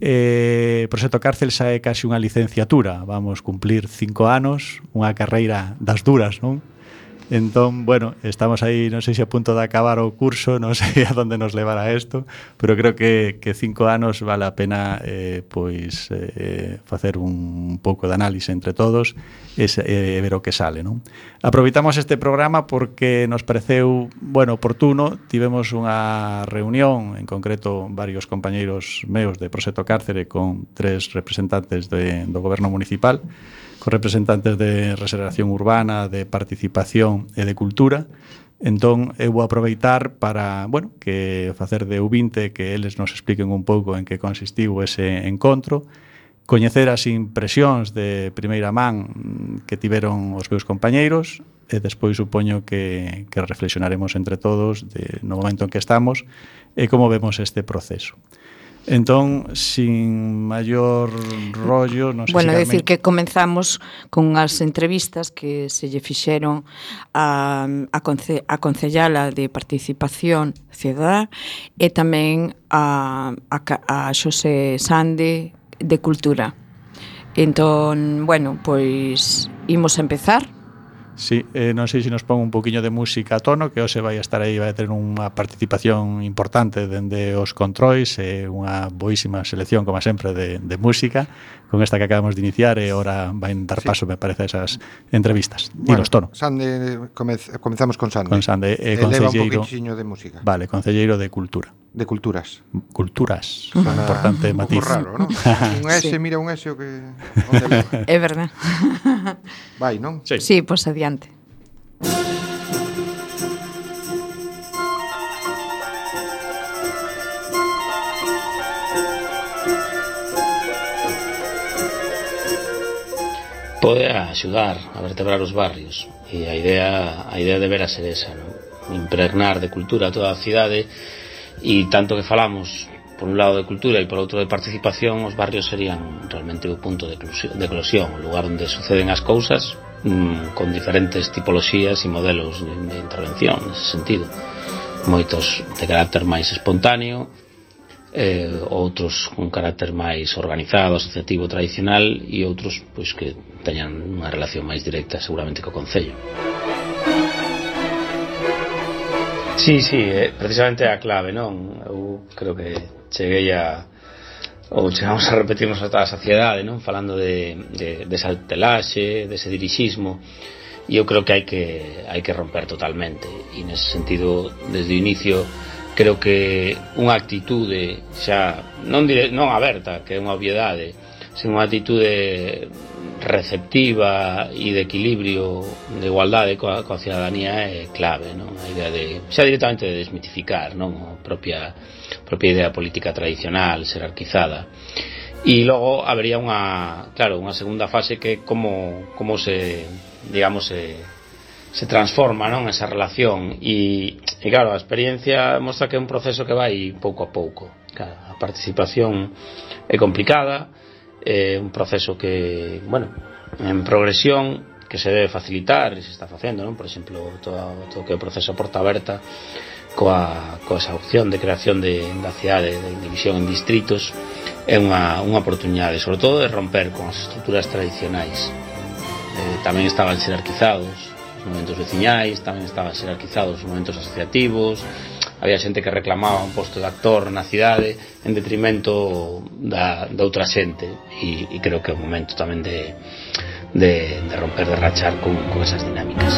Proxecto Cárcel xa é casi unha licenciatura, vamos cumplir 5 anos, unha carreira das duras, non? Entón, bueno, estamos aí, non sei se a punto de acabar o curso, non sei a onde nos levará isto, pero creo que 5 anos vale a pena facer un pouco de análise entre todos e ver o que sale, non? Aproveitamos este programa porque nos pareceu, bueno, oportuno, tivemos unha reunión, en concreto varios compañeiros meus de Proxecto Cárcere con 3 representantes do goberno municipal, con representantes de regeneración urbana, de participación e de cultura. Entón, eu vou aproveitar para, bueno, que facer de ouvinte, que eles nos expliquen un pouco en que consistiu ese encontro, coñecer as impresións de primeira man que tiveron os meus compañeiros e despois supoño que reflexionaremos entre todos no momento en que estamos e como vemos este proceso. Entón, sin maior rollo, non sei bueno, se decir que comenzamos con as entrevistas que se lle fixeron a concellala de Participación Cidadá e tamén a Xosé Sande de Cultura. Entón, bueno, pois imos a empezar. Sí, non sei se nos pon un poquinho de música a tono, que hoxe vai estar aí, vai ter unha participación importante dende os controis e unha boísima selección, como sempre, de música, con esta que acabamos de iniciar, e ora vai dar paso, me parece, a esas entrevistas. Dinos, tono. Sande, comenzamos con Sande. Con Sande, leva un poquinho de música. Vale, concelleiro de Cultura. De Culturas. Culturas, un importante matiz. Un pouco raro, non? Un S, sí. Mira un S o que... É verdad. Vai, non? Sí, pois adiante. Pode axudar a vertebrar os barrios, e a idea debera ser esa, non? Impregnar de cultura toda a cidade, e tanto que falamos por un lado de cultura e por outro de participación, os barrios serían realmente o punto de eclosión, o lugar onde suceden as cousas, con diferentes tipoloxías e modelos de intervención nese sentido, moitos de carácter máis espontáneo, outros con carácter máis organizado, asociativo, tradicional, e outros pois que teñan unha relación máis directa seguramente co concello. Sí, precisamente a clave, non? Eu creo que chegamos a repetirnos a toda a saciedade, non? Falando desa telaxe, dese dirixismo, e eu creo que hai que romper totalmente, e nese sentido, desde o inicio, creo que unha actitude xa non aberta, que é unha obviedade, senón unha actitude receptiva e de equilibrio, de igualdade coa cidadanía é clave, non? A idea xa directamente de desmitificar, non? A propia idea política tradicional, xerarquizada. E logo habería unha segunda fase que é como se, digamos, se transforma, non, esa relación, e claro, a experiencia mostra que é un proceso que vai pouco a pouco. Claro, a participación é complicada, é un proceso que, bueno, en progresión, que se debe facilitar e se está facendo, non? Por exemplo, todo que é o proceso a porta aberta coa esa opción de creación da cidade, de división en distritos, é unha oportunidade, sobre todo, de romper con as estruturas tradicionais. Tamén estaban xerarquizados os momentos veciñais, tamén estaban xerarquizados os momentos asociativos, había xente que reclamaba un posto de actor na cidade en detrimento da outra xente, e creo que é o momento tamén de romper, de rachar con esas dinámicas.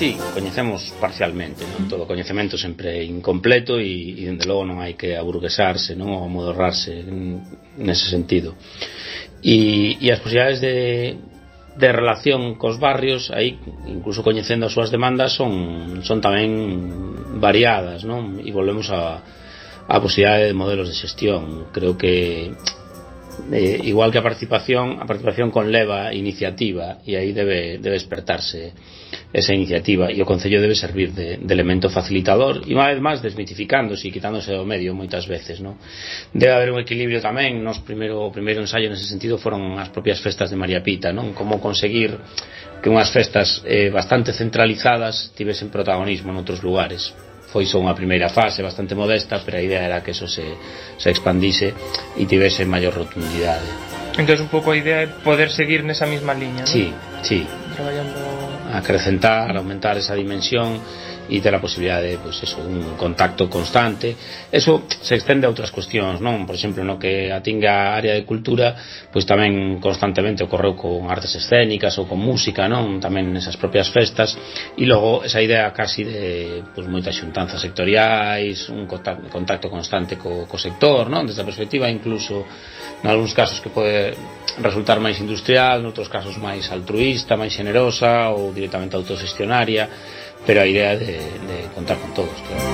Sí, coñecemos parcialmente, non? Todo coñecemento sempre é incompleto, e dende logo non hai que aburguesarse, non? Ou amodorrarse nese sentido. E as posibilidades de relación cos barrios, aí, incluso coñecendo as súas demandas, son tamén variadas, non? E volvemos a posibilidade de modelos de xestión. Creo que igual que a participación conleva iniciativa, e aí debe despertarse esa iniciativa, e o Concello debe servir de elemento facilitador e unha vez máis desmitificándose e quitándose do medio moitas veces, non? Debe haber un equilibrio tamén. O primeiro ensaio nese sentido foron as propias festas de María Pita, non? Como conseguir que unhas festas bastante centralizadas tivesen protagonismo noutros lugares. Foi só unha primeira fase bastante modesta, pero a idea era que eso se expandise e tivese maior rotundidade. Entón un pouco a idea é poder seguir nesa mesma liña, non? Sí. Traballando, acrecentar, aumentar esa dimensión e ter a posibilidade de, pues eso, un contacto constante. Eso se extende a outras cuestións, non? Por exemplo, no que atinga a área de cultura, pois tamén constantemente ocorreu con artes escénicas ou con música, non? Tamén nesas propias festas, e logo esa idea casi de, pues, moitas xuntanzas sectoriais, un contacto constante co sector, non? Desde a perspectiva incluso nalgúns casos que pode resultar máis industrial, noutros casos máis altruísta, máis xenerosa ou directamente autoxestionaria, pero a idea de contar con todos, claro.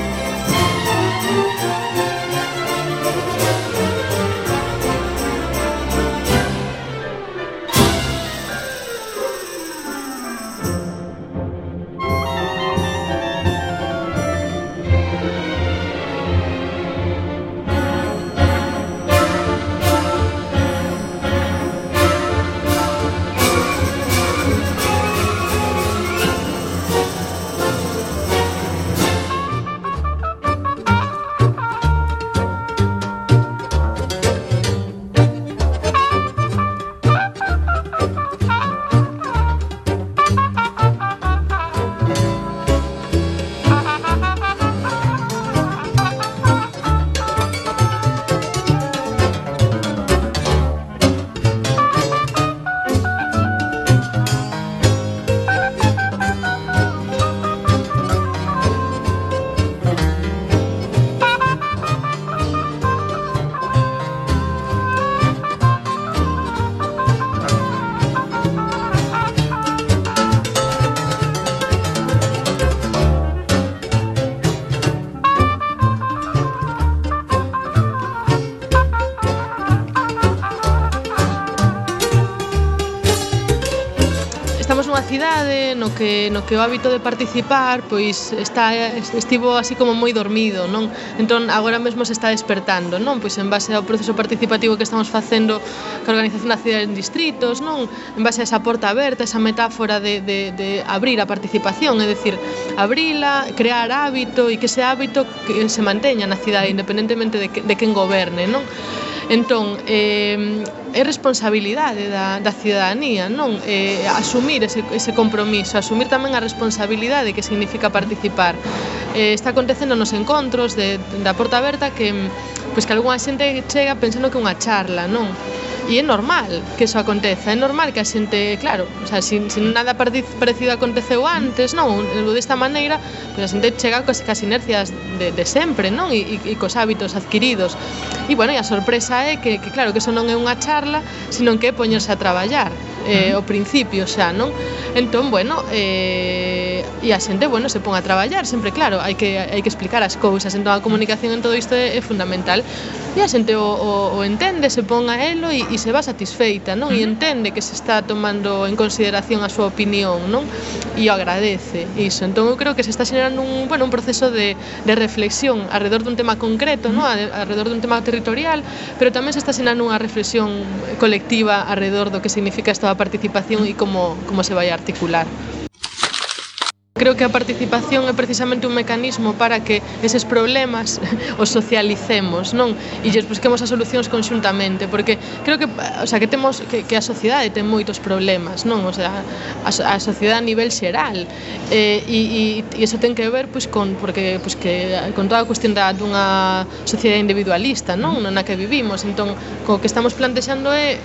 cidade no que o hábito de participar pois estivo así como moi dormido, non? Entón agora mesmo se está despertando, non? Pois en base ao proceso participativo que estamos facendo ca organización da cidade en distritos, non? En base a esa porta aberta, esa metáfora de abrir a participación, é dicir, abrila, crear hábito e que ese hábito que se manteña na cidade independentemente de quen goberne, non? Entón, é responsabilidade da cidadanía, non? Asumir ese compromiso, asumir tamén a responsabilidade que significa participar. Está acontecendo nos encontros da porta aberta que algunha xente chega pensando que é unha charla, non? E é normal que eso aconteza, é normal que a xente, claro, o sea, se nada parecido aconteceu antes, non? Desta maneira, pois a xente chega cas inercias de sempre, non? E cos hábitos adquiridos. E, bueno, e a sorpresa é que claro, que eso non é unha charla, sino que é poñerse a traballar, ao principio xa, non? Entón, bueno, e a xente, bueno, se pon a traballar, sempre, claro, hai que explicar as cousas, entón a comunicación en todo isto é fundamental. E a xente o entende, se pon a elo e se va satisfeita, non? E entende que se está tomando en consideración a súa opinión, non? E o agradece iso. Entón eu creo que se está xerando un proceso de reflexión alrededor dun tema concreto, non? Alrededor dun tema territorial, pero tamén se está xerando unha reflexión colectiva alrededor do que significa esta participación e como se vai a articular. Creo que a participación é precisamente un mecanismo para que eses problemas os socialicemos, non? E lles busquemos as solucións conxuntamente, porque creo que, o sea, que temos que a sociedade ten moitos problemas, non? O sea, a sociedade a nivel xeral, e iso ten que ver con toda a cuestión dunha sociedade individualista, non? Na que vivimos. Entón, o que estamos plantexando é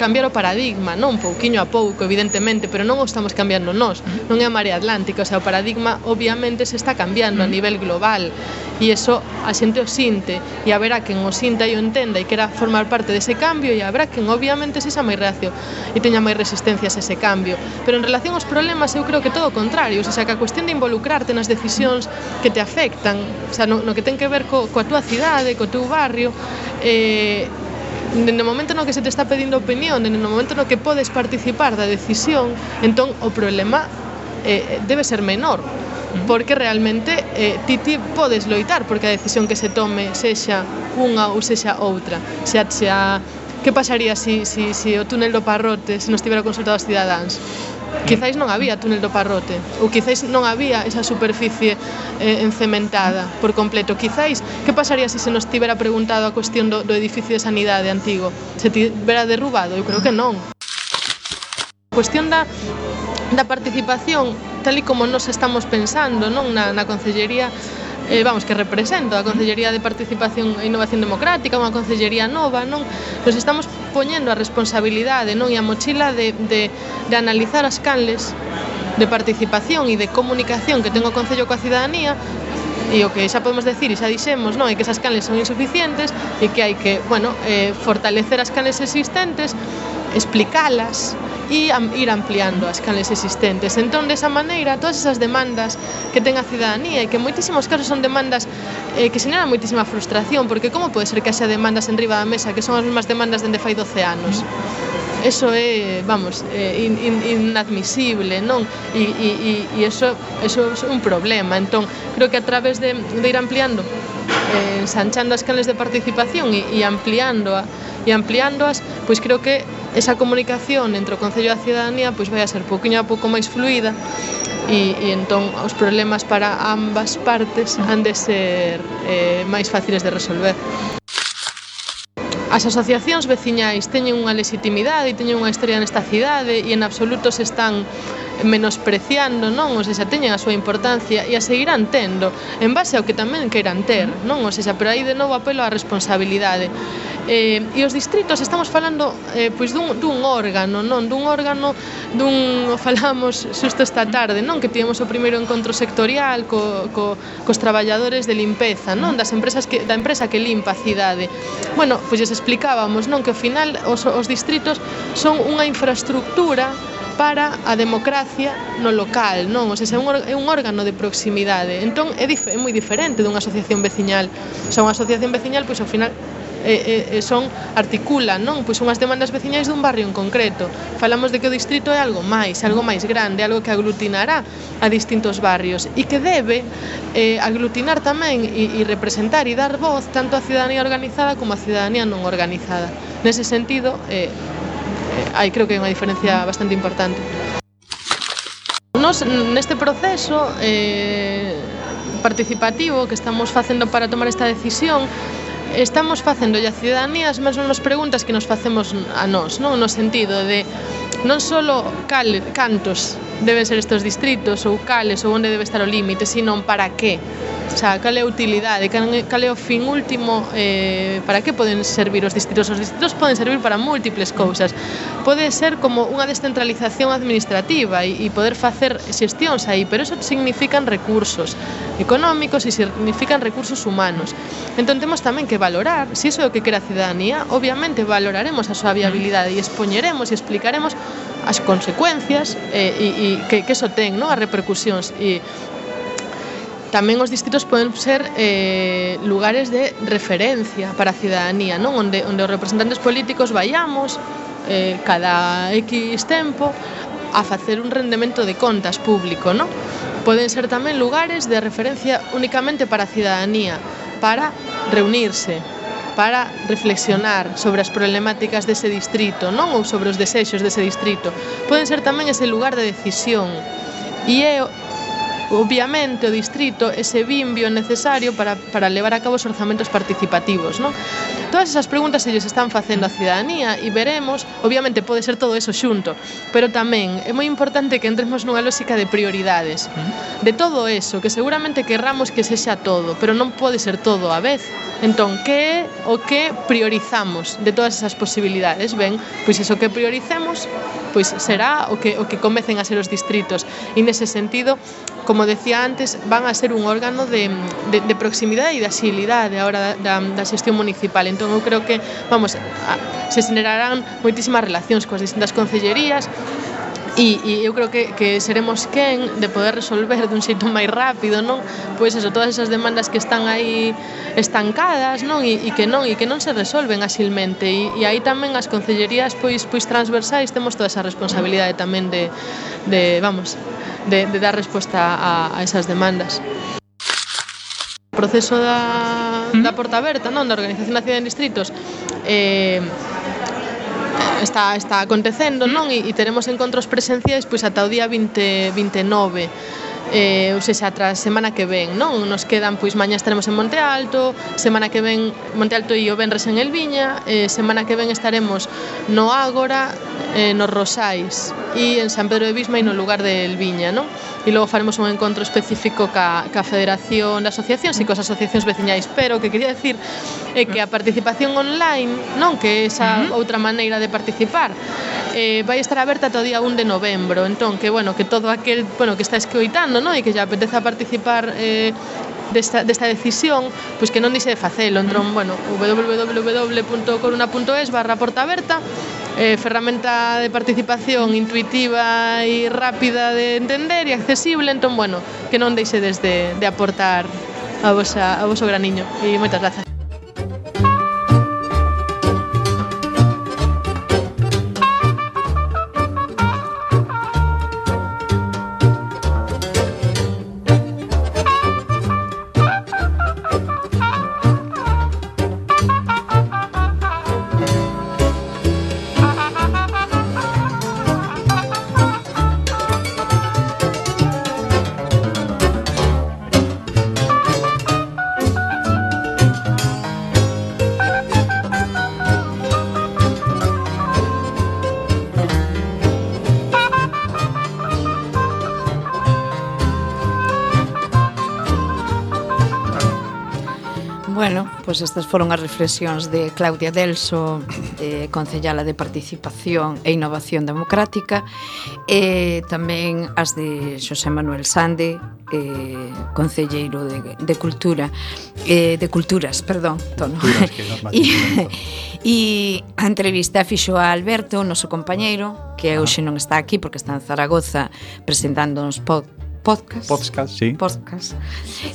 cambiar o paradigma, non? Pouquiño a pouco, evidentemente, pero non o estamos cambiando nós, non é a marea atlántica, o sea, o paradigma obviamente se está cambiando a nivel global, e iso a xente o sinte, e haberá quen o sinta e o entenda e quera formar parte dese cambio, e haberá quen obviamente se xa máis reacio e teña máis resistencias a ese cambio. Pero en relación aos problemas eu creo que todo o contrario, o sea, que a cuestión de involucrarte nas decisións que te afectan, o sea, no que ten que ver coa túa cidade, co teu barrio, no momento no que se te está pedindo opinión, no momento no que podes participar da decisión, entón o problema debe ser menor, porque realmente ti podes loitar porque a decisión que se tome sexa unha ou sexa outra. Que pasaría se o túnel do Parrote se nos tivera consultado os cidadáns? Quizáis non había túnel do Parrote, ou quizáis non había esa superficie encementada por completo. Quizáis, que pasaría se nos tivera preguntado a cuestión do edificio de sanidade antigo? Se tivera derrubado? Eu creo que non. A cuestión da participación, tal e como nos estamos pensando, non, na Concellería, que represento a Concellería de Participación e Innovación Democrática, unha concellería nova, non? Nos estamos poñendo a responsabilidade, non, e a mochila de analizar as canles de participación e de comunicación que ten o Concello coa cidadanía, e o que xa podemos decir e xa dixemos, non, é que esas canles son insuficientes e que hai que, fortalecer as canles existentes, explicalas e ir ampliando as canles existentes. Entón, desa maneira, todas esas demandas que ten a cidadanía e que en moitísimos casos son demandas que xeneran moitísima frustración, porque como pode ser que haxa demandas en riba da mesa que son as mesmas demandas dende fai 12 anos? Eso é, inadmisible, non? E eso é un problema. Entón, creo que a través de ir ampliando, ensanchando as canles de participación e ampliándoas, pois creo que esa comunicación entre o Concello e a cidadanía vai a ser pouquiño a pouco máis fluida e entón os problemas para ambas partes han de ser máis fáciles de resolver. As asociacións veciñais teñen unha legitimidade e teñen unha historia nesta cidade e en absoluto se están menospreciando, non? Ou seja, teñen a súa importancia e a seguirán tendo en base ao que tamén queiran ter, non? Ou seja, pero aí de novo apelo á responsabilidade. E os distritos estamos falando dun órgano, non? Falamos xusto esta tarde, non? Que tivemos o primeiro encontro sectorial cos traballadores de limpeza, non? Da empresa que limpa a cidade. Pois lles explicábamos, non? Que ao final os distritos son unha infraestructura para a democracia no local, non? O sea, é un órgano de proximidade. Entón é moi diferente dunha asociación veciñal. O sea, unha asociación veciñal, pois ao final articulan, non? Pois unhas demandas veciñais dun barrio en concreto. Falamos de que o distrito é algo máis grande, algo que aglutinará a distintos barrios e que debe aglutinar tamén e representar e dar voz tanto á cidadanía organizada como á cidadanía non organizada. Nese sentido, creo que hai unha diferencia bastante importante. Nos, neste proceso participativo que estamos facendo para tomar esta decisión, estamos facendo a cidadanía as mesmas preguntas que nos facemos a nós, non? No sentido de non só cantos deben ser estes distritos ou cales ou onde debe estar o límite, sino para que. O sea, cal é a utilidade, cal é o fin último, para que poden servir os distritos? Os distritos poden servir para múltiples cousas. Pode ser como unha descentralización administrativa e poder facer xestións aí, pero eso significan recursos económicos e significan recursos humanos. Entón temos tamén que valorar, se iso é o que quere a cidadanía, obviamente valoraremos a súa viabilidade e expoñeremos e explicaremos as consecuencias e que iso ten, non? As repercusións. E tamén os distritos poden ser lugares de referencia para a cidadanía, non? Onde os representantes políticos vayamos cada X tempo a facer un rendemento de contas público, non? Poden ser tamén lugares de referencia únicamente para a cidadanía, para reunirse, para reflexionar sobre as problemáticas dese distrito, non? Ou sobre os desexos dese distrito. Poden ser tamén ese lugar de decisión e é obviamente o distrito ese bimbio necesario para levar a cabo os orzamentos participativos, non? Todas esas preguntas se lles están facendo a cidadanía e veremos, obviamente pode ser todo eso xunto, pero tamén é moi importante que entremos nunha lógica de prioridades. De todo eso, que seguramente querramos que sexa todo, pero non pode ser todo á vez. Entón, que é o que priorizamos de todas esas posibilidades? Ben, pois iso que prioricemos, pois será o que comecen a ser os distritos. E nese sentido, como decía antes, van a ser un órgano de proximidade e de axilidade a hora da xestión municipal. Entón, eu creo que, se xenerarán moitísimas relacións coas distintas concellerías e eu creo que seremos quen de poder resolver dun xeito máis rápido, non? Pois eso, todas esas demandas que están aí estancadas, non? E que non se resolven axilmente e aí tamén as concellerías pois transversais temos toda esa responsabilidade tamén de de dar resposta a esas demandas. O proceso da Porta Aberta, non, da Organización da Cidade en Distritos, está acontecendo, non? E teremos encontros presenciais pois ata o día 29, ou seja, atra a semana que ven, non? Nos quedan, pois mañá estaremos en Monte Alto, semana que ven Monte Alto e o venres en Elviña, semana que ven estaremos no Ágora, nos Rosais e en San Pedro de Bisma e no lugar de Elviña, non? E logo faremos un encontro específico ca Federación de Asociacións e cos asociacións veciñais, pero o que quería decir é que a participación online, non, que é esa outra maneira de participar, vai estar aberta ata o día 1 de novembro, entón que todo aquel, que está escoitando, non, e que lle apeteza participar desta decisión, pois que non dixe de facelo, entón, www.coruna.es/portaaberta, ferramenta de participación intuitiva e rápida de entender e accesible, entón, que non deixedes de aportar a voso graniño, e moitas grazas. Pois estas foron as reflexións de Claudia Delso, concellala de Participación e Innovación Democrática, e tamén as de Xosé Manuel Sande, concelleiro de Cultura, de Culturas, perdón, tono. E a entrevista fixo a Alberto, o noso compañeiro, que hoxe non está aquí porque está en Zaragoza presentándonos podcast, sí. Podcast.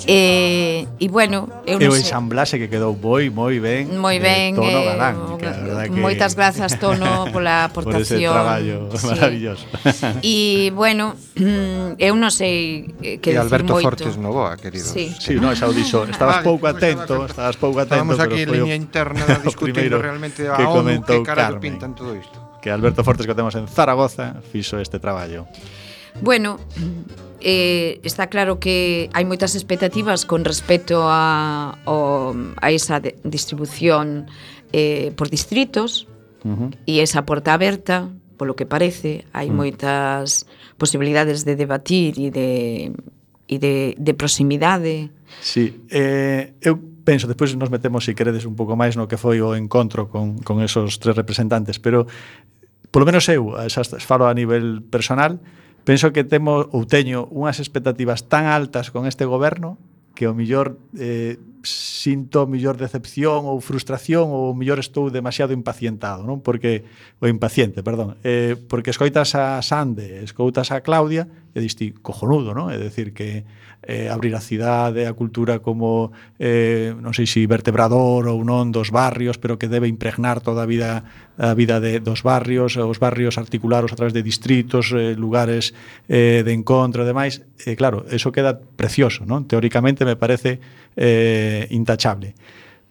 E o ensamblaxe que quedou moi ben. Moi ben. Tono galán, moitas grazas, Tono, pola aportación. Por ese traballo maravilloso. E eu non sei que dicir moito. E Alberto moito. Fortes Novoa, querido. Sí, no, esa audición. Estabas pouco atento. Estábamos aquí en liña interna discutindo realmente a ONU que carallo pintan todo isto. Que Alberto Fortes, que temos en Zaragoza, fixo este traballo. Está claro que hai moitas expectativas con respecto a esa distribución por distritos e esa porta aberta, polo que parece, hai moitas posibilidades de debatir e de proximidade. Sí, eu penso, despois nos metemos, se queredes, un pouco máis no que foi o encontro con esos tres representantes, pero polo menos eu, falo a nivel personal, penso que teño unhas expectativas tan altas con este goberno que o mellor sinto mellor decepción ou frustración ou mellor estou demasiado impacientado, non? Porque escoitas a Sande, escoitas a Claudia e diste cojonudo, non? É dicir que abrir a cidade, a cultura como non sei se vertebrador ou non dos barrios, pero que debe impregnar toda a vida dos barrios, os barrios articularos a través de distritos, lugares de encontro e demais. Claro, eso queda precioso, non? Teóricamente me parece intachable.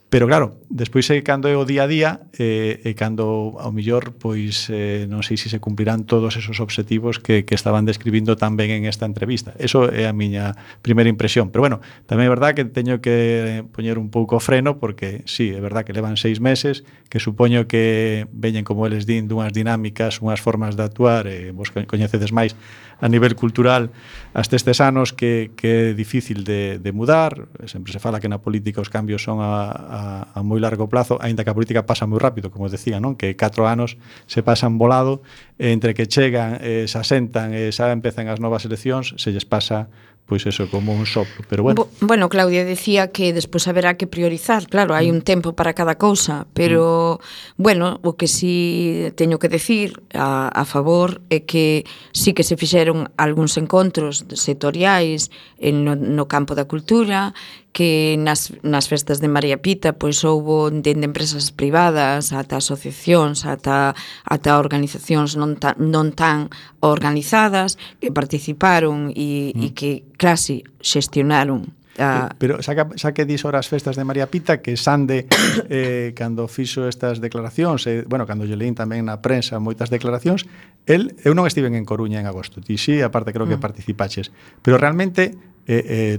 Pero claro, despois cando é o día a día e cando ao mellor pois non sei se se cumplirán todos esos obxectivos que estaban describindo tan ben en esta entrevista. Eso é a miña primeira impresión. Pero bueno, tamén é verdad que teño que poñer un pouco freno porque sí, é verdad que levan 6 meses, que supoño que veñen, como eles din, dunhas dinámicas, unhas formas de actuar, e vos coñecedes máis a nivel cultural hasta estes anos que é difícil de mudar. Sempre se fala que na política os cambios son a moi largo plazo, aínda que a política pasa moi rápido, como decía, non? Que 4 anos se pasan volado, entre que chegan, se asentan e xa empezan as novas eleccións, se lles pasa pois eso, como un soplo, pero bueno. Bueno, Claudia decía que despois haberá que priorizar, claro, hai un tempo para cada cousa, pero, bueno, o que sí teño que decir a favor é que sí que se fixeron fixeron algúns encontros sectoriais no campo da cultura, que nas festas de María Pita pois houbo dende empresas privadas ata asociacións, ata organizacións non tan organizadas que participaron e que casi xestionaron. Pero xa que dis ora as festas de María Pita, que Sande cando fixo estas declaracións, cando lle leín tamén na prensa moitas declaracións, eu non estiven en Coruña en agosto, ti sí, aparte creo que participaches, pero realmente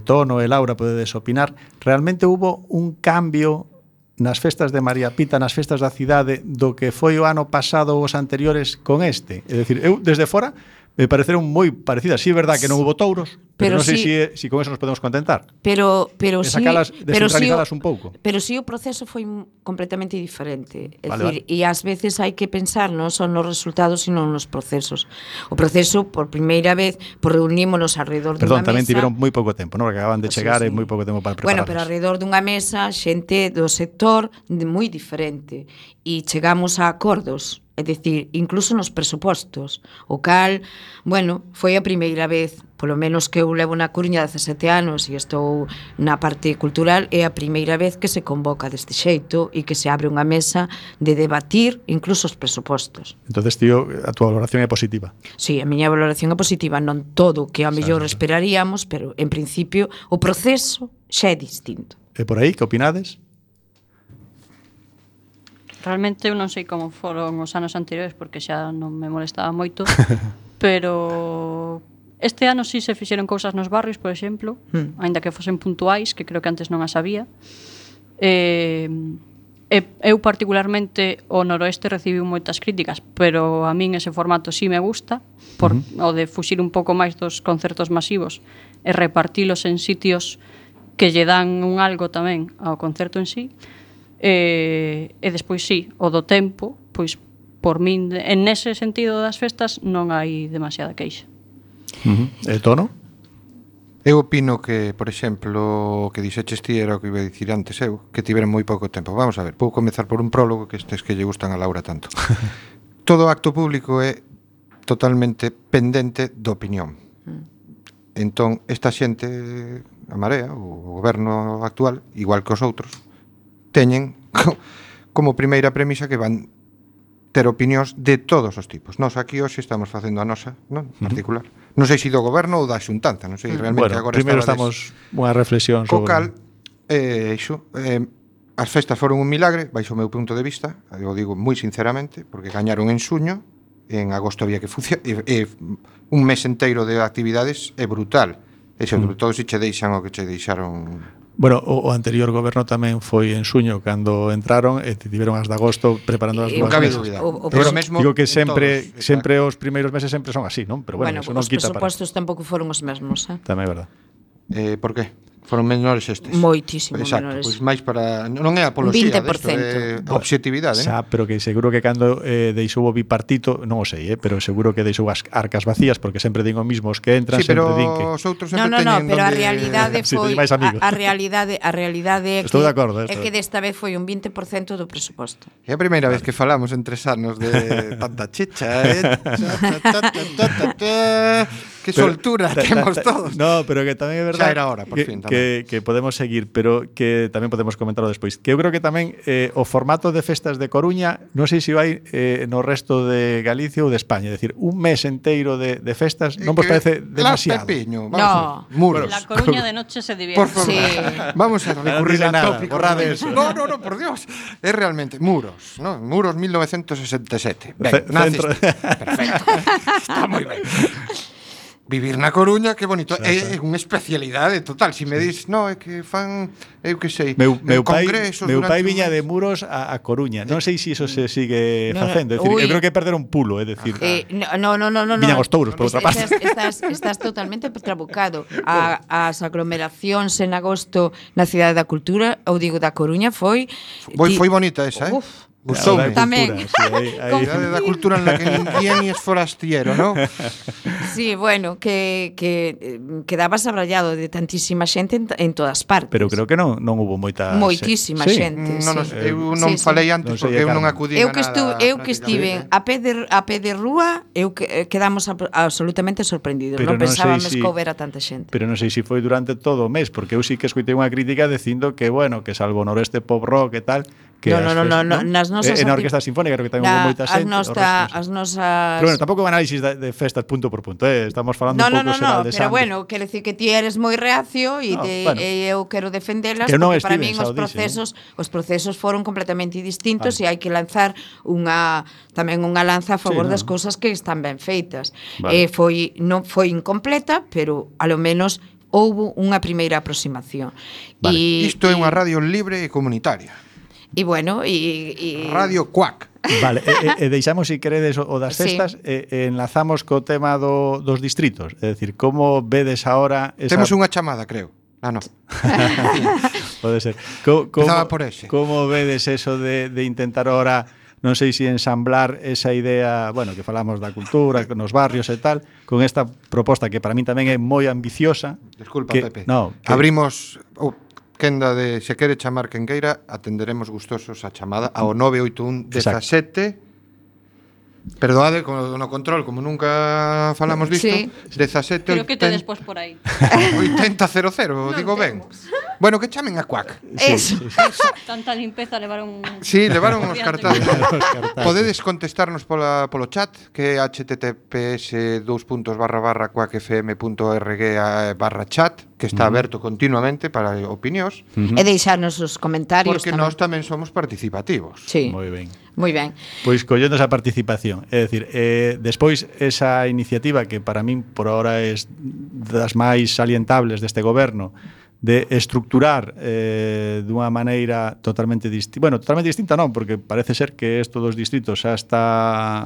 Tono e Laura podedes opinar, realmente hubo un cambio nas festas de María Pita, nas festas da cidade, do que foi o ano pasado ou os anteriores con este? É dicir, eu desde fora me pareceron moi parecidas. Sí, é verdad que non hubo touros, pero non sei se con eso nos podemos contentar. Pero sacalas, descentralizalas un pouco. Pero si o proceso foi completamente diferente. É dicir, e ás veces hai que pensar non son nos resultados, sino nos procesos. O proceso, por primeira vez, reunímonos alrededor dunha mesa. Tamén tiveron moi pouco tempo, non? Que acaban de chegar e moi pouco tempo para prepararse. Pero alrededor dunha mesa, xente do sector moi diferente. E chegamos a acordos. É dicir, incluso nos presupostos, o cal, foi a primeira vez, polo menos que eu levo na Coruña 17 anos e estou na parte cultural, é a primeira vez que se convoca deste xeito e que se abre unha mesa de debatir incluso os presupostos. Entonces, tío, a túa valoración é positiva? Sí, a miña valoración é positiva, non todo o que a mellor esperaríamos, pero en principio o proceso xa é distinto. E por aí, que opinades? Realmente eu non sei como foron os anos anteriores porque xa non me molestaba moito, pero este ano sí se fixeron cousas nos barrios, por exemplo, aínda que fosen puntuais, que creo que antes non as había. Eu particularmente o noroeste recibiu moitas críticas, pero a min ese formato sí me gusta, o de fuxir un pouco máis dos concertos masivos e repartilos en sitios que lle dan un algo tamén ao concerto en sí. E despois sí, o do tempo, pois por min en ese sentido das festas non hai demasiada queixa. E Tono? Eu opino que, por exemplo, o que dixeches ti era o que iba a dicir antes eu, que tiveron moi pouco tempo. Vamos a ver, vou comezar por un prólogo que estes que lle gustan a Laura tanto. Todo acto público é totalmente pendente da opinión. Entón, esta xente, a Marea, o goberno actual, igual que os outros, teñen como primeira premisa que van ter opinións de todos os tipos. Nós aquí hoxe estamos facendo a nosa, non? Particular. Non sei se do goberno ou da xuntanza, non sei realmente agora primeiro estamos unha reflexión sobre... Co cal, as festas foron un milagre, baixo o meu punto de vista, eu digo moi sinceramente, porque gañaron en xuño, en agosto había que funcionar, un mes enteiro de actividades é brutal. E sobre todo se che deixan o que che deixaron... Bueno, o anterior goberno tamén foi en xuño cando entraron e tiveron as de agosto preparando as novas mesas. Pero mesmo digo que sempre os primeiros meses sempre son así, non? Pero bueno, eso non quita para... Os presupostos tampouco foron os mesmos, Tamén é verdad. Por qué? Foron menores estes. Moitísimo menores. Pois máis para... Non é apoloxía desto, é obxectividade. Xa, pero que seguro que cando deixou o bipartito, non o sei, pero seguro que deixou as arcas vacías, porque sempre din o mismo os que entran, sempre din que... os outros sempre teñen... pero a realidade foi... A realidade é Estou de acordo, é que desta vez foi un 20% do presuposto. É a primeira vez que falamos en 3 anos de tanta chicha, Que soltura temos todos. No, pero que tamén é verdade. Xa era hora, por fin, que podemos seguir, pero que tamén podemos comentarlo despois. Que eu creo que tamén o formato de festas de Coruña, non sei se vai no resto de Galicia ou de España, é dicir, un mes enteiro de festas, non vos parece demasiado? Pepiño, no. Muros. La Coruña de noche se divierte. Por favor. Sí. Vamos a recurrir al tópico. Eso. No, por Dios. É realmente Muros, ¿no? Muros 1967. Ben, perfecto. Está moi ben. Vivir na Coruña, que bonito. É unha especialidade total. Se me dis, no, é que fan, eu que sei, meu pai un viña de Muros a Coruña. Non sei se iso se sigue facendo. É dicir, eu creo que perder un pulo, é dicir. No. Viñan os touros, por outra parte. Estás totalmente trabucado. As aglomeracións en agosto na Cidade da Cultura, ou digo da Coruña, foi bonita esa, Gustoume. Tamén. A idade da cultura en la que ninguén es forastiero, ¿no? Sí, bueno, que quedabas abrallado de tantísima xente en todas partes. Pero creo que non houbo moita... Moitísima xente, Eu non falei antes porque eu non acudín a nada. Eu que estive a pé de rúa, quedamos absolutamente sorprendidos. Pero Non pensábamos sei que houbera tanta xente. Pero non sei se foi durante todo o mes, porque eu sí que escoitei unha crítica dicindo que, bueno, que salvo noroeste pop rock e tal, que No, nas nosas na Orquesta Sinfónica creo que tamén houve moita xente. As nosas... Pero bueno, tampouco un análisis de festas punto por punto, estamos falando un pouco xeral de pero Sande. bueno, quero dicir que ti eres moi reacio e eu quero defendelas que non porque para estiven, min os procesos foron completamente distintos e hai que lanzar tamén unha lanza a favor das cousas que están ben feitas. Non foi incompleta, pero a lo menos houbo unha primeira aproximación. Isto é unha radio libre e comunitaria. E bueno, Radio Cuac. Vale, e deixamos, se queredes, o das festas, enlazamos co tema dos distritos. É dicir, como vedes ahora... Temos unha chamada, creo. No. Pode ser. Empezaba por ese. Como vedes eso de intentar ahora, non sei se ensamblar esa idea, bueno, que falamos da cultura, nos barrios e tal, con esta proposta que para mí tamén é moi ambiciosa. Desculpa, Pepe. Abrimos... Quenda de se quere chamar quen queira, atenderemos gustosos a chamada ao 981 17. Perdoade no control, como nunca falamos disto, 17. Creo que te despois por aí. 8000, digo ben. Bueno, que chamen a Cuac. Eso. Tanta limpeza levaron. Sí, levaron os cartazes. Podedes contestarnos polo chat, que é https://cuacfm.org/chat, que está aberto continuamente para opinións. E deixarnos os comentarios porque nós tamén somos participativos. Sí. Moi ben. Moi ben. Pois collendo esa participación, é dicir, despois esa iniciativa que para min por ahora é das máis salientables deste goberno, de estructurar dunha maneira totalmente distinta. Bueno, totalmente distinta non, porque parece ser que isto dos distritos xa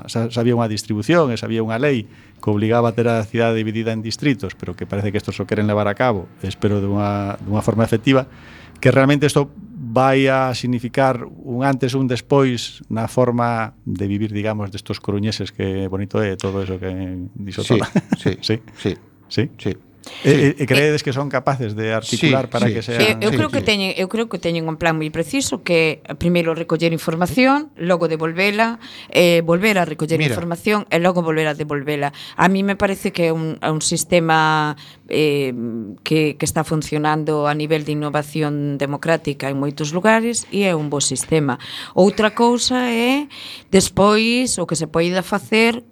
había unha distribución, xa había unha lei que obligaba a ter a cidade dividida en distritos, pero que parece que isto só queren levar a cabo, espero dunha forma efectiva, que realmente isto vai a significar un antes un despois na forma de vivir, digamos, destos coruñeses, que bonito é todo eso que dixo toda. Sí. E creedes que son capaces de articular para que sean... Eu creo que teñen un plan moi preciso, que primeiro recoller información, logo devolvela, volver a recoller información e logo volver a devolvela. A mí me parece que é un sistema que está funcionando a nivel de innovación democrática en moitos lugares e é un bo sistema. Outra cousa é despois o que se poida facer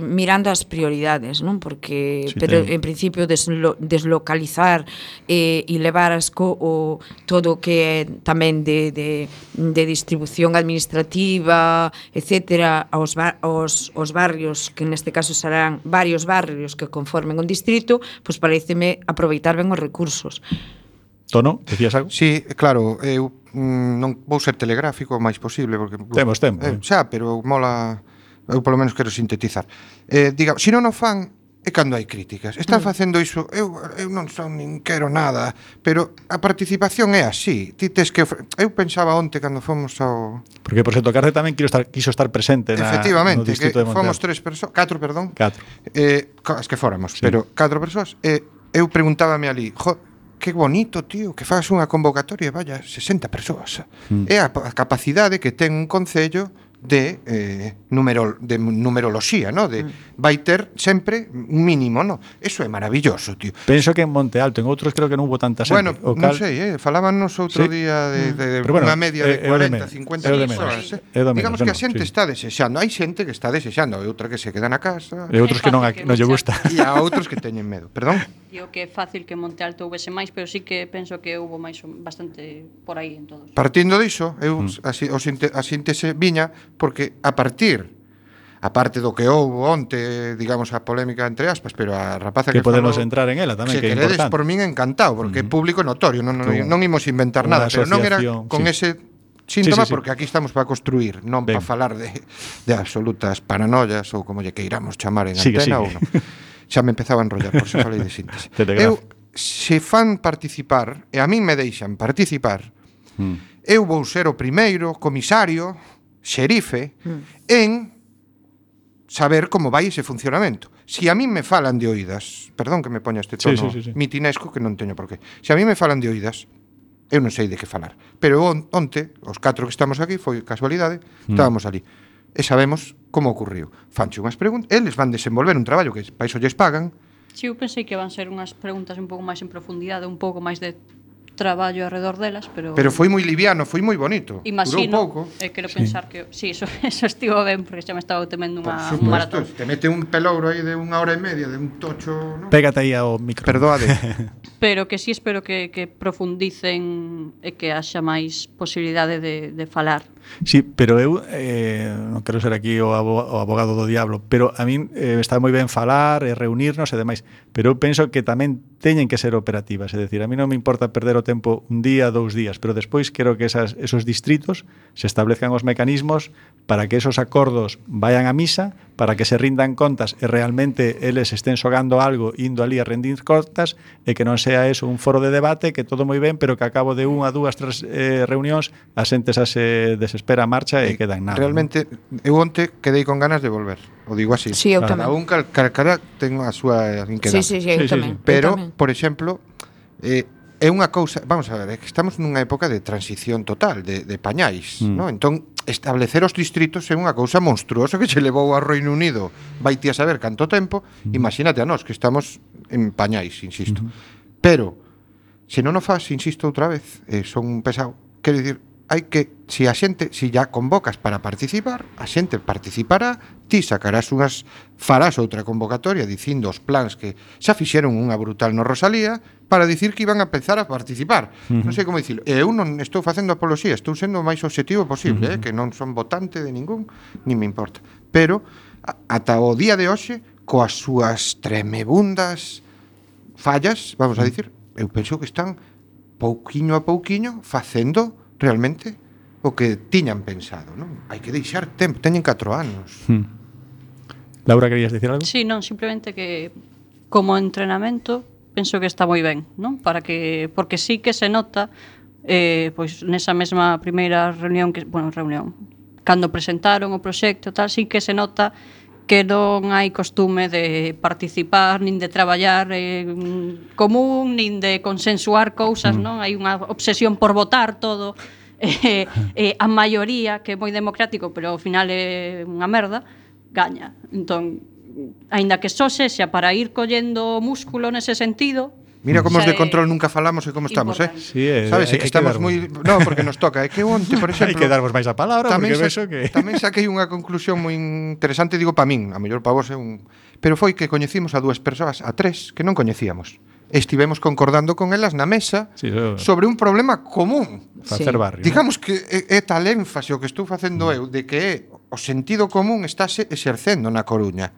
mirando as prioridades, non? Porque pero en principio deslocalizar e levar todo o que é tamén de distribución administrativa, etcétera, aos barrios, que neste caso serán varios barrios que conformen un distrito, pois pareceme aproveitar ben os recursos. Tono, decías algo? Sí, claro, eu non vou ser telegráfico o máis posible porque temos tempo. Xa, pero mola. Eu polo menos quero sintetizar. Diga, se non o fan é cando hai críticas. Están facendo iso, eu non son nin quero nada, pero a participación é así. Ti tes que eu pensaba onte cando fomos ao... Porque por Xeto Carce tamén quiso estar presente no distrito de Montear. Fomos 4 as que fóramos, pero 4 persoas. Eu preguntábame ali, que bonito, tío, que faz unha convocatoria, vaya, 60 persoas. É a capacidade que ten un concello de numeroloxía, ¿no? Vai ter sempre un mínimo, ¿no? Eso é maravilloso, tío. Penso que en Monte Alto, en outros creo que non hubo tanta xente. Bueno, non sei, falábanos outro día de unha media de 40, 50 persoas. Digamos que a xente está desexando. Hai xente que está desexando, outra que se queda na casa. E outros que non lle gusta. E a outros que teñen medo. Perdón? Digo que é fácil que en Monte Alto houvese máis, pero sí que penso que houve máis bastante por aí en todos. Partindo diso, eu a síntese viña porque a parte do que houve onte, digamos, a polémica entre aspas, pero a rapaza que podemos entrar en ela tamén, que é importante. Se queredes, por min encantado, porque é público notorio, non imos inventar nada, pero non era con ese síntoma, porque aquí estamos para construir, non para falar de absolutas paranoias ou como lle queiramos chamar en antena ou non. Xa me empezaba a enrollar, por eso falei de síntese. Eu, se fan participar, e a min me deixan participar, Eu vou ser o primeiro comisario, xerife, en saber como vai ese funcionamento. Si a mí me falan de oídas, perdón que me poña este tono mitinesco, que non teño por qué. Si a mí me falan de oídas, eu non sei de que falar. Pero onte, os 4 que estamos aquí, foi casualidade, estábamos ali. E sabemos como ocurriu. Fanche unhas preguntas, eles van desenvolver un traballo que para iso lles pagan. Si, eu pensei que van ser unhas preguntas un pouco máis en profundidade, un pouco máis de traballo alrededor delas, pero foi moi liviano, foi moi bonito. Imagino, durou pouco. Quero pensar que eso estivo ben, porque xa me estaba temendo un maratón. Te mete un pelouro aí de 1 hora e media, de un tocho, ¿no? Pégate aí ao micro. Perdoade. Pero que sí espero que profundicen e que haxa máis posibilidade de falar. Sí, pero eu non quero ser aquí o abogado do diablo, pero a min está moi ben falar e reunirnos e demais, pero eu penso que tamén teñen que ser operativas, é dicir, a mí non me importa perder o tempo un día, 2 días, pero despois quero que esos distritos se establezcan os mecanismos para que esos acordos vayan a misa, para que se rindan contas e realmente eles estén xogando algo indo ali a rendir contas e que non sea eso un foro de debate que todo moi ben, pero que a cabo de 1, 2, 3 reunións a xente xa se desespera a marcha e queda en nada. Realmente, eu onte quedei con ganas de volver. O digo así. Sí, eu tamén. Cada un calcara ten a súa inquedad. Sí, eu tamén. Pero, por exemplo, é unha cousa, vamos a ver, é que estamos nunha época de transición total, de pañais, ¿no? Entón, establecer os distritos é unha cousa monstruosa que se levou ao Reino Unido, vai ti a saber canto tempo, imagínate a nós que estamos en pañais, insisto. Pero, se non o faz, insisto outra vez, son un pesado, quero dicir, hai que, se a xente, se ya convocas para participar, a xente participará, ti sacarás farás outra convocatoria dicindo os plans que xa fixeron unha brutal no Rosalía para dicir que iban a empezar a participar. Non sei como dicilo. Eu non estou facendo apoloxía, estou sendo o máis objetivo posible, que non son votante de ningún, nin me importa. Pero, ata o día de hoxe, coas súas tremebundas fallas, vamos a dicir, eu penso que están pouquiño a pouquiño facendo realmente o que tiñan pensado, non? Hai que deixar tempo, teñen 4 anos. Laura, querías dicir algo? Sí, non, simplemente que como entrenamento penso que está moi ben, non? Porque sí que se nota pois nesa mesma primeira reunión cando presentaron o proxecto tal, sí que se nota que non hai costume de participar nin de traballar común, nin de consensuar cousas, non? Hai unha obsesión por votar todo, a maioría, que é moi democrático, pero ao final é unha merda, gaña. Entón, aínda que só sexa para ir collendo músculo nese sentido. Mira como os de control nunca falamos e como estamos, Sí, sabes, que estamos moi... No, porque nos toca. É que onte, por exemplo... Hai que darvos máis a palabra, porque vexo que... Tamén saquei unha conclusión moi interesante, digo, para min, a mellor para vos é un... Pero foi que coñecimos a 2 persoas, a 3, que non coñecíamos. Estivemos concordando con elas na mesa sobre un problema común. Facer barrio. Digamos que é tal énfase o que estou facendo eu de que o sentido común estáse exercendo na Coruña.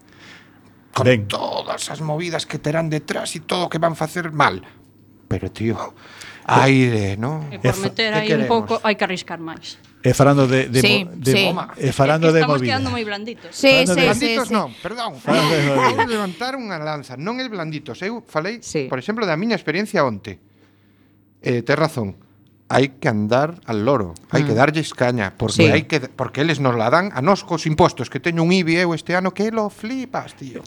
Con todas as movidas que terán detrás e todo o que van facer mal. Pero, tío, aire, ¿no? E por meter aí un pouco hai que arriscar máis. E falando de falando de estamos movida. quedando moi blanditos. Sí. Blanditos non, perdón. Vou levantar unha lanza, non é blanditos. Eu falei, por exemplo, da miña experiencia onte. Tes razón. Hai que andar al loro, hai que darlles caña, porque porque eles nos la dan a nós cos impostos, que teño un IBI eu este ano que lo flipas, tío.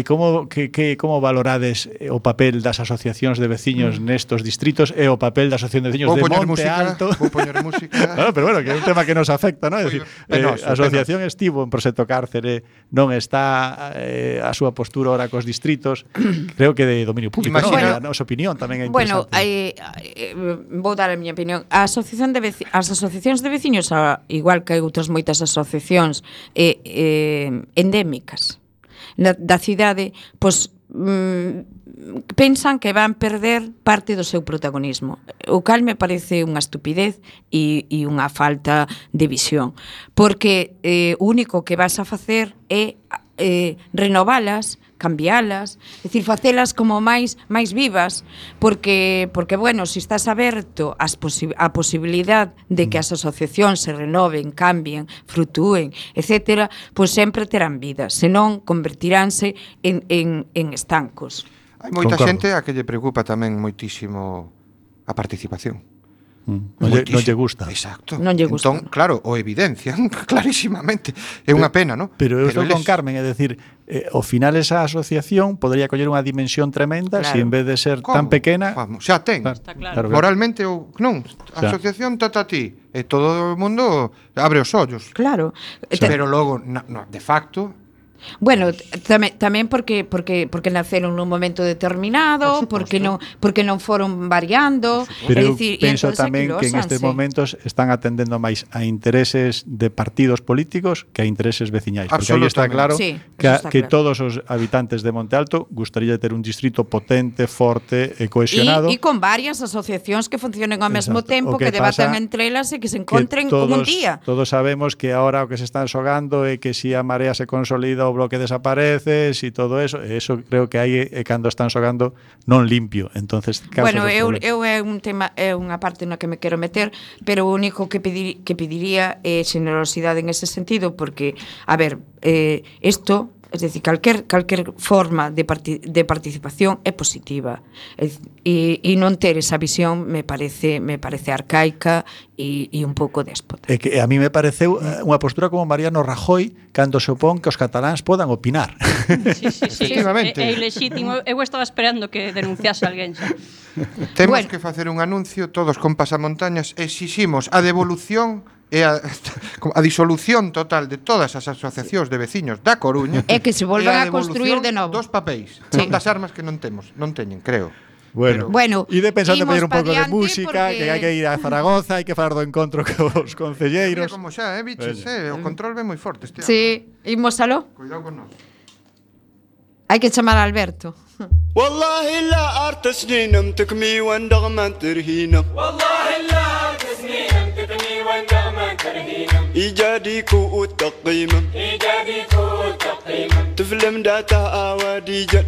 Como valorades o papel das asociacións de veciños nestos distritos e o papel da asociación de veciños de Monte Alto? Vou poñer música. Bueno, pero bueno, que é un tema que nos afecta, ¿no? É dicir, a asociación estivo en Proxecto Cárcere, non está a súa postura ora cos distritos, creo que de dominio público, Imagina, a nosa opinión tamén é Bueno, interesante. vou dar a miña opinión. As asociacións de veciños, igual que hai outras moitas asociacións endémicas da cidade, pois pensan que van perder parte do seu protagonismo, o cal me parece unha estupidez e unha falta de visión, porque o único que vas a facer é renovalas, cambialas, é dicir, facelas como máis vivas, porque bueno, se estás aberto á posibilidade de que as asociacións se renoven, cambien, frutúen, etcétera, pois sempre terán vida, senón convertiránse en estancos. Hai moita xente a que lle preocupa tamén moitísimo a participación. Non lle gusta. Exacto. Non lle gusta. Entón, claro, o evidencian clarísimamente. É unha pena, non? Pero eu estou con Carmen, é decir, ao final esa asociación podría coller unha dimensión tremenda se en vez de ser tan pequena... Vamos, xa ten. Claro. Moralmente ou non, a asociación trata a ti e todo o mundo abre os ollos. Claro. Pero logo, de facto... Bueno, tamén porque naceron nun momento determinado, porque non foron variando, pero decir, penso tamén que en estes momentos están atendendo máis a intereses de partidos políticos que a intereses veciñais, porque aí está claro que todos os habitantes de Monte Alto gustaría ter un distrito potente, forte e cohesionado. E con varias asociacións que funcionen ao mesmo tempo, que debatan entre elas e que se encontren un día. Todos sabemos que ahora o que se están xogando é que si a Marea se consolida o bloque desaparece, si todo eso creo que aí é cando están xogando non limpio. Entonces, bueno, eu é un tema, é unha parte na que me quero meter, pero o único que pediría é xenerosidade en ese sentido, porque, a ver, isto, es decir, calquer forma de participación é positiva, e non ter esa visión me parece arcaica e un pouco déspota. É que a mí me pareceu unha postura como Mariano Rajoy cando se opón que os cataláns podan opinar. Sí. Efectivamente. É ilexítimo. Eu estaba esperando que denunciase alguén xa. Temos que facer un anuncio todos con pasamontañas, exiximos a devolución e a disolución total de todas as asociacións de veciños da Coruña. É que se volvan a construir de novo. Dos papéis, son das armas que non teñen, creo. Bueno, e de pensando pedir un pouco de música, porque... que hai que ir a Zaragoza, hai que falar do encontro cos concelleiros. Como xa, biches, o control ve moi forte este ano. Sí, imos aló. Cuidado con nós. Hai que chamar a Alberto. والله لا أرتسني نمتك مي وندغمان ترهينا والله لا أرتسني نمتك مي وندغمان ترهينا إيجاديكو التقييم تفلم داتا أواديجا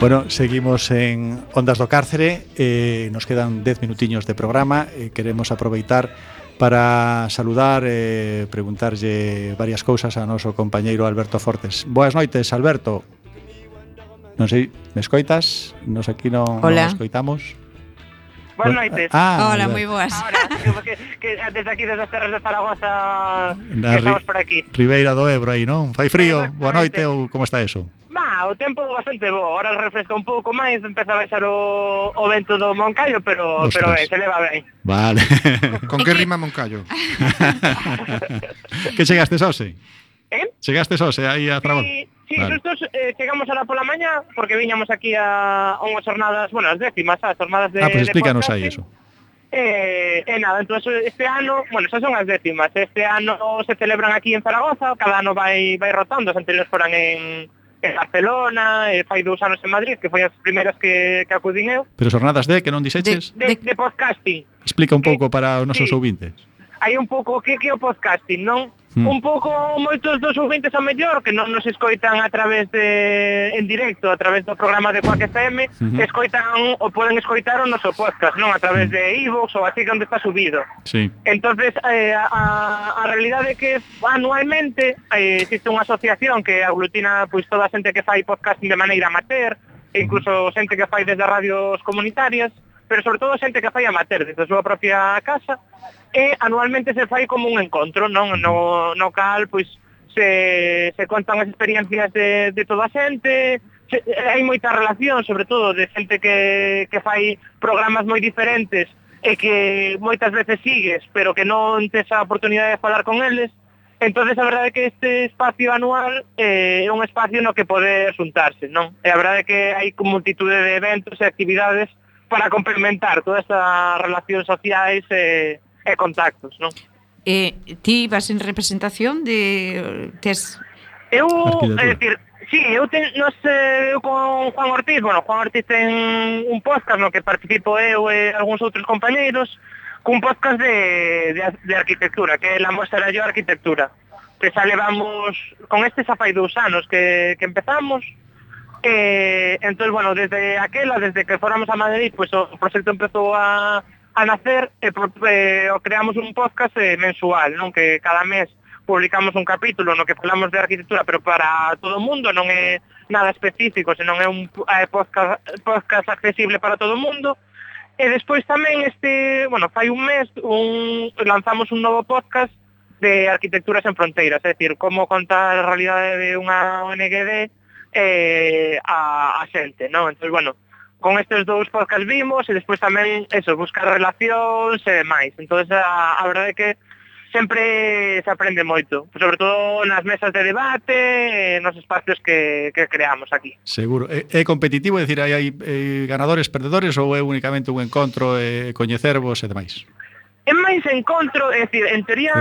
Bueno, seguimos en Ondas do Cárcere, nos quedan 10 minutiños de programa, queremos aproveitar para saludar e preguntarlle varias cousas a noso compañeiro Alberto Fortes. Boas noites, Alberto. Non sei, me escoitas? Nos aquí non escoitamos. Boas noites. Hola, moi boas. Ahora, que desde aquí, desde as terras de Zaragoza, que estamos por aquí. Ribeira do Ebro aí, non? Fai frío? Boa noite ou como está eso? o tempo bastante bo. Ahora refresca un pouco máis, empeza a baixar o vento do Moncayo, pero Ostras. se leva ben. Vale. Con que rima Moncayo? Que chegastes hoxe? Chegastes hoxe aí a Zaragoza? Sí, vale. Nosotros chegamos ahora pola mañá, porque viñamos aquí a unhas jornadas, bueno, as décimas, as jornadas de pues explícanos de aí eso. Nada, entonces este ano, bueno, esas son as décimas. Este ano se celebran aquí en Zaragoza, cada ano vai rotando, as anteriores foran en Barcelona, fai 2 anos en Madrid, que foi as primeiras que acudín eu. Pero xornadas que non dixeches? De podcasting. Explica un pouco para os nosos ouvintes. Hai un pouco que é o podcasting, non? Un pouco moitos dos ouvintes a mellor que non nos escoitan a través en directo, a través do programa de Quack FM, escoitan ou poden escoitar o noso podcast, non? A través de iVoox ou así onde está subido. Sí. Entonces, a realidade é que anualmente existe unha asociación que aglutina pois toda a xente que fai podcasting de maneira amateur, e incluso xente que fai desde radios comunitarias, pero sobre todo xente que fai amateur desde a súa propia casa, e anualmente se fai como un encontro, non? No cal, pois, se contan as experiencias de toda a xente, hai moita relación, sobre todo, de xente que fai programas moi diferentes e que moitas veces sigues, pero que non tes a oportunidade de falar con eles. Entonces, a verdade é que este espacio anual é un espacio no que poder xuntarse, non? E a verdade é que hai multitude de eventos e actividades para complementar todas estas relacións sociais e contactos, non? Ti vas en representación de... Eu, é dicir, sí, eu con Juan Ortiz, Juan Ortiz ten un podcast no que participo eu e algúns outros compañeiros, cun podcast de arquitectura, que é La Mostra yo Arquitectura, que xa levamos, con este xa fai 2 anos que empezamos. Entón, desde que fóramos a Madrid, pues o proxecto empezou a nacer e creamos un podcast mensual, non? Que cada mes publicamos un capítulo no que falamos de arquitectura, pero para todo o mundo, non é nada específico, senón é un podcast accesible para todo o mundo. E despois tamén fai un mes lanzamos un novo podcast de Arquitecturas en Fronteiras, é dicir, como contar a realidade de unha ONGD a xente, non? Entón, con estes 2 podcasts vimos e despois tamén buscar relacións e demais. Entón, a verdade é que sempre se aprende moito, sobre todo nas mesas de debate, nos espacios que creamos aquí. Seguro. É competitivo, é dicir, hai ganadores, perdedores ou é únicamente un encontro coñecervos e demais? É máis encontro, é dicir, en teoría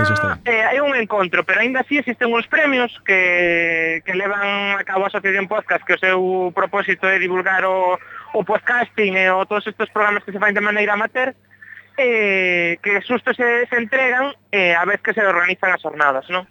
é un encontro, pero aínda así existen uns premios que levan a cabo a Asociación Podcast, que o seu propósito é divulgar o podcasting e todos estes programas que se fan de maneira amateur, que xusto se entregan a vez que se organizan as jornadas, non?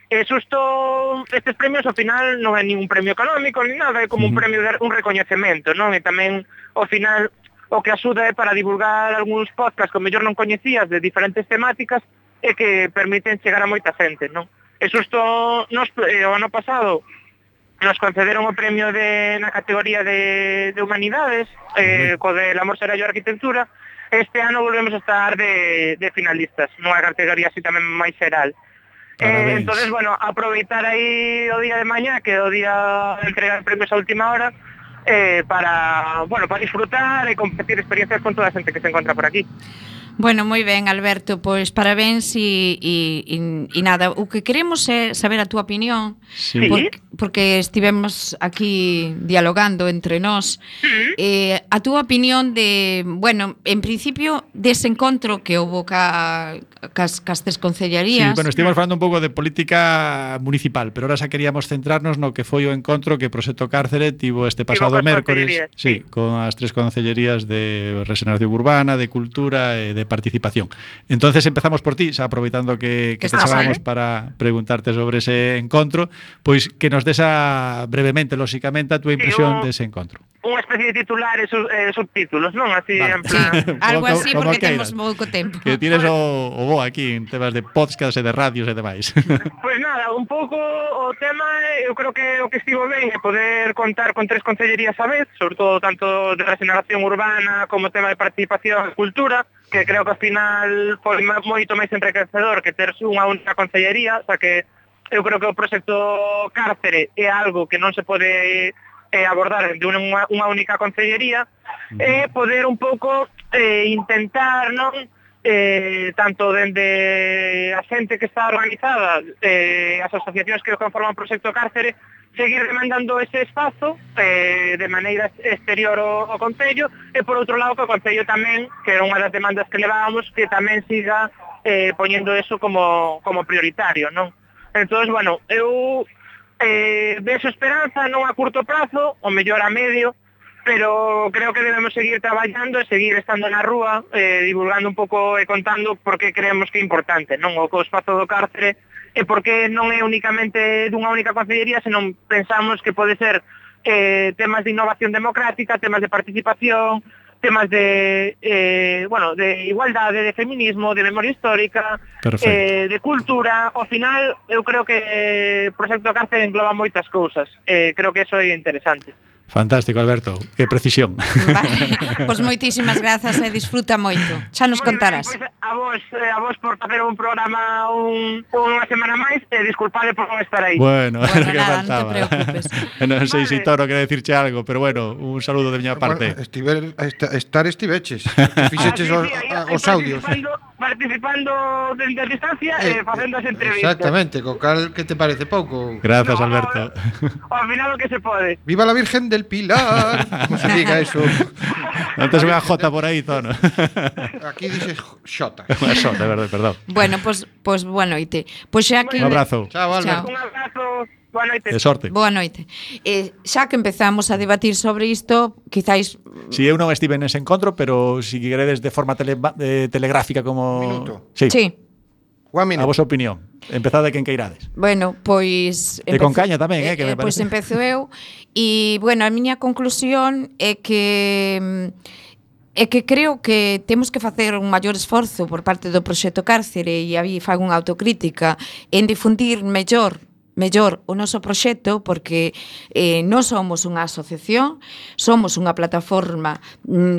Xusto estes premios ao final non é ningún premio económico ni nada, é como un premio de un recoñecemento, non? E tamén ao final o que axuda é para divulgar algúns podcasts que mellor non coñecías de diferentes temáticas e que permiten chegar a moita xente, non? E xusto o ano pasado nos concederon o premio na categoría de humanidades, co de La Mostra yo Arquitectura. Este ano volvemos a estar de finalistas, nunha categoría así tamén máis xeral. Entonces, aproveitar aí o día de mañá, que é o día de entregar premios a última hora, para disfrutar e compartir experiencias con toda a xente que se encontra por aquí. Bueno, moi ben, Alberto, pois parabéns e nada, o que queremos é saber a túa opinión, porque estivemos aquí dialogando entre nós, a túa opinión de, en principio, dese encontro que houve cas tres concellarías. Sí, estivemos falando un pouco de política municipal, pero ahora xa queríamos centrarnos no que foi o encontro que Proxecto Cárcere tivo este pasado mércores, con as 3 concellerías de Regeneración Urbana, de Cultura e de participación. Entonces empezamos por ti, xa aproveitando que te chamamos para preguntarte sobre ese encontro, pois que nos desa brevemente, lóxicamente, a túa impresión dese encontro. Unha especie de titular e subtítulos, non? Así, en plan... Algo así, porque temos pouco tempo. Que tires o bo aquí en temas de podcast e de radios e demais. Pois nada, un pouco o tema, eu creo que o que estivo ben é poder contar con 3 concellerías a vez, sobre todo tanto de regeneración urbana como tema de participación e cultura, que creo que ao final foi moito máis enriquecedor que ter unha única concellería, o sea que eu creo que o proxecto Cárcere é algo que non se pode abordar de unha única concellería e poder un pouco intentar, non, tanto dende a xente que está organizada, as asociacións que conforman o proxecto Cárcere, seguir demandando ese espazo de maneira exterior ao Concello, e por outro lado que o Concello tamén, que era unha das demandas que levábamos, que tamén siga poñendo eso como prioritario, non? Entón, bueno, eu vexo esperanza non a curto prazo, o mellor a medio, pero creo que debemos seguir traballando e seguir estando na rúa, divulgando un pouco e contando por que creemos que é importante, non, o espazo do Cárcere, e porque non é únicamente dunha única concellería, senón pensamos que pode ser temas de innovación democrática, temas de participación, temas de igualdade, de feminismo, de memoria histórica, de cultura. Ao final, eu creo que o proxecto Cárcere engloba moitas cousas. Creo que eso é interesante. Fantástico, Alberto, que precisión. Vale. Pois moitísimas grazas e disfruta moito. Xa nos contarás. Pois a vos por facer un programa unha semana máis, e disculpade por non estar aí. Bueno, nada, que faltaba. non te preocupes. Non sei se Toro quere decirche algo, pero bueno, un saludo de miña parte. Estiveches, fixeches os audios. Participando desde a distancia e facendo as entrevistas. Exactamente, co cal que te parece pouco. Gracias, Alberto. Ao final o que se pode. Viva la Virgen del Pilar. Como se diga eso. Antes unha jota por aí, Tono. Aquí dices xota. Unha xota, perdón. Bueno, pois boa noite. Pois xa que Un abrazo. Chao, Albert. Un abrazo. Boa noite. De sorte. Boa noite. Xa que empezamos a debatir sobre isto, quizáis... Si eu non estive nese encontro, pero si queredes de forma telegráfica como... Minuto. Sí. A One minute. vosa opinión. Empezade quen queirades. Bueno, pois... E con caña tamén, que me Pois parece. empezo eu. E, bueno, a miña conclusión é que creo que temos que facer un maior esforzo por parte do proxecto Cárcere, e aí fago unha autocrítica, en difundir mellor o noso proxecto, porque non somos unha asociación, somos unha plataforma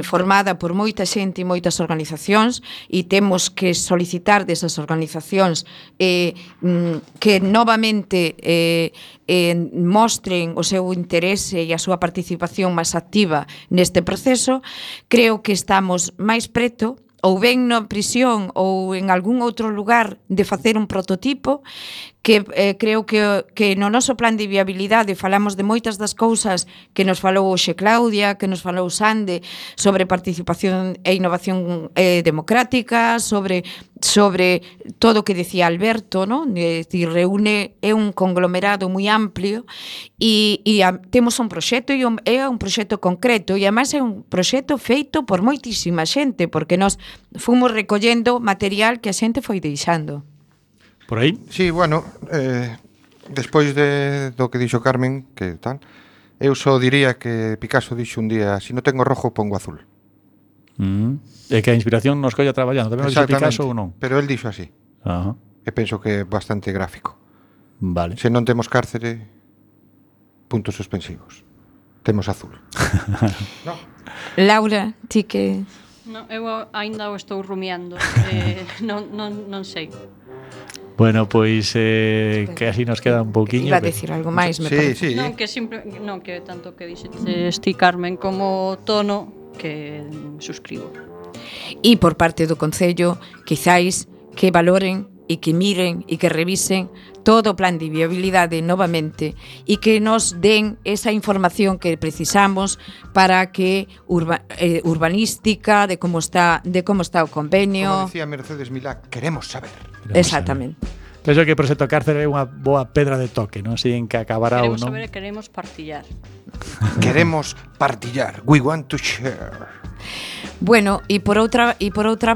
formada por moita xente e moitas organizacións, e temos que solicitar desas organizacións que novamente mostren o seu interese e a súa participación máis activa neste proceso. Creo que estamos máis preto, ou ben na prisión ou en algún outro lugar, de facer un prototipo, que creo que no noso plan de viabilidade falamos de moitas das cousas que nos falou hoxe Claudia, que nos falou Sande, sobre participación e innovación democrática, sobre todo o que decía Alberto, ¿no? É dicir, reúne, é un conglomerado moi amplio, e temos un proxecto, e é un proxecto concreto, e además é un proxecto feito por moitísima xente, porque nós fomos recollendo material que a xente foi deixando. Por aí? Sí, bueno, despois do que dixo Carmen, que tal, eu só diría que Picasso dixo un día: si non tengo rojo, pongo azul. É que a inspiración nos colla traballando. Tamén o dixo Picasso ou non? Pero el dixo así. Ajá. E penso que é bastante gráfico. Vale. Se non temos Cárcere, puntos suspensivos. Temos azul. No. Laura, ti que... No, eu aínda o estou rumiando. Non sei. Bueno, pois que así nos queda un pouquiño. Iba a decir algo máis, me parece. Sí. Non que tanto que dixetes ti, Carmen, como Tono, que suscribo. E por parte do Concello, quizáis que valoren e que miren e que revisen todo o plan de viabilidade novamente, e que nos den esa información que precisamos para que urbanística, de como está o convenio. Como decía Mercedes Milá, queremos saber. Exactamente. Penso que o proxecto Cárcere é unha boa pedra de toque, non sei en que acabará ou non. Queremos partillar. Queremos partillar. We want to share. Bueno, e por outra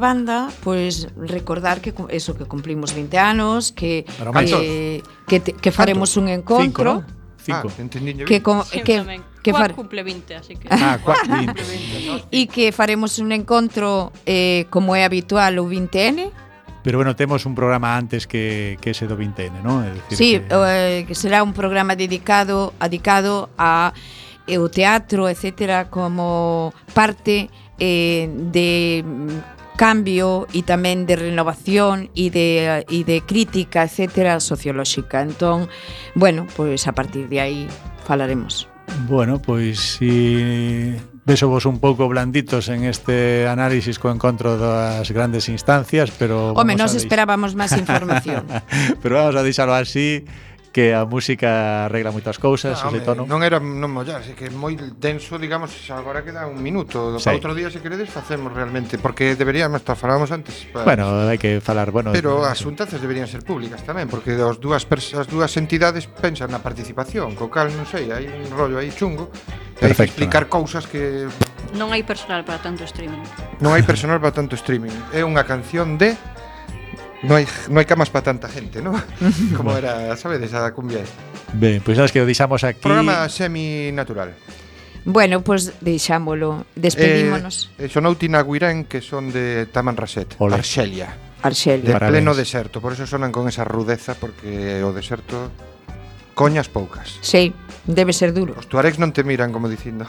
banda, pues recordar que eso, que cumplimos 20 anos, que faremos un encontro. 5, Cuac cumple 20, así que... Cuac 20. E que faremos un encontro como é habitual o 20N. Pero bueno, temos un programa antes que ese do 20N, ¿no? É dicir, sí, que será un programa dedicado a o teatro, etcétera, como parte de cambio e tamén de renovación e de crítica, etcétera, sociolóxica. Entón, bueno, pues a partir de aí falaremos. Bueno, pois si vésovos un pouco blanditos en este análisis co encontro das grandes instancias, pero home, nos esperábamos máis información. Pero vamos a deixalo así, que a música arregla moitas cousas, ese tono. Non era non mollarse, que é moi denso, digamos, agora queda un minuto. Para outro día, se queredes, facemos realmente, porque deberíamos, falábamos antes. Bueno, hai que falar, bueno. Pero as xuntanzas deberían ser públicas tamén, porque as dúas entidades pensan na participación, co cal, non sei, hai un rollo aí chungo. Hai que explicar cousas que... Non hai personal para tanto streaming. Non hai personal para tanto streaming. É unha canción de... No hai camas para tanta gente, ¿no? Como era, sabedes, a cumbia. Ben, pois sabes que o deixamos aquí. Programa semi-natural. Bueno, pois deixámolo. Despedímonos. Sonou Tina Guirén, que son de Tamanrasset, Arxelia. De pleno deserto, por eso sonan con esa rudeza, porque o deserto coñas poucas. Sí, debe ser duro. Os tuaregs non te miran como dicindo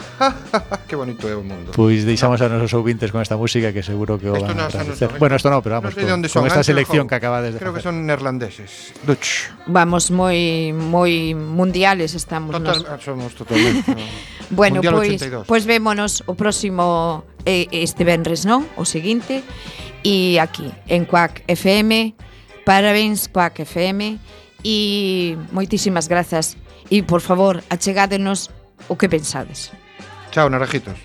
que bonito é o mundo. Pois deixamos a nosos ouvintes con esta música, que seguro que o van a agradecer. Bueno, esto no, pero vamos, con esta selección que acabades de creo que son neerlandeses. Dutch. Vamos moi mundiales estamos. Somos totalmente. Bueno, pois vémonos o próximo este venres, non? O seguinte, e aquí en Quack FM. Parabéns Quack FM. E moitísimas grazas. E, por favor, achegádenos o que pensades. Chao, naranjitos.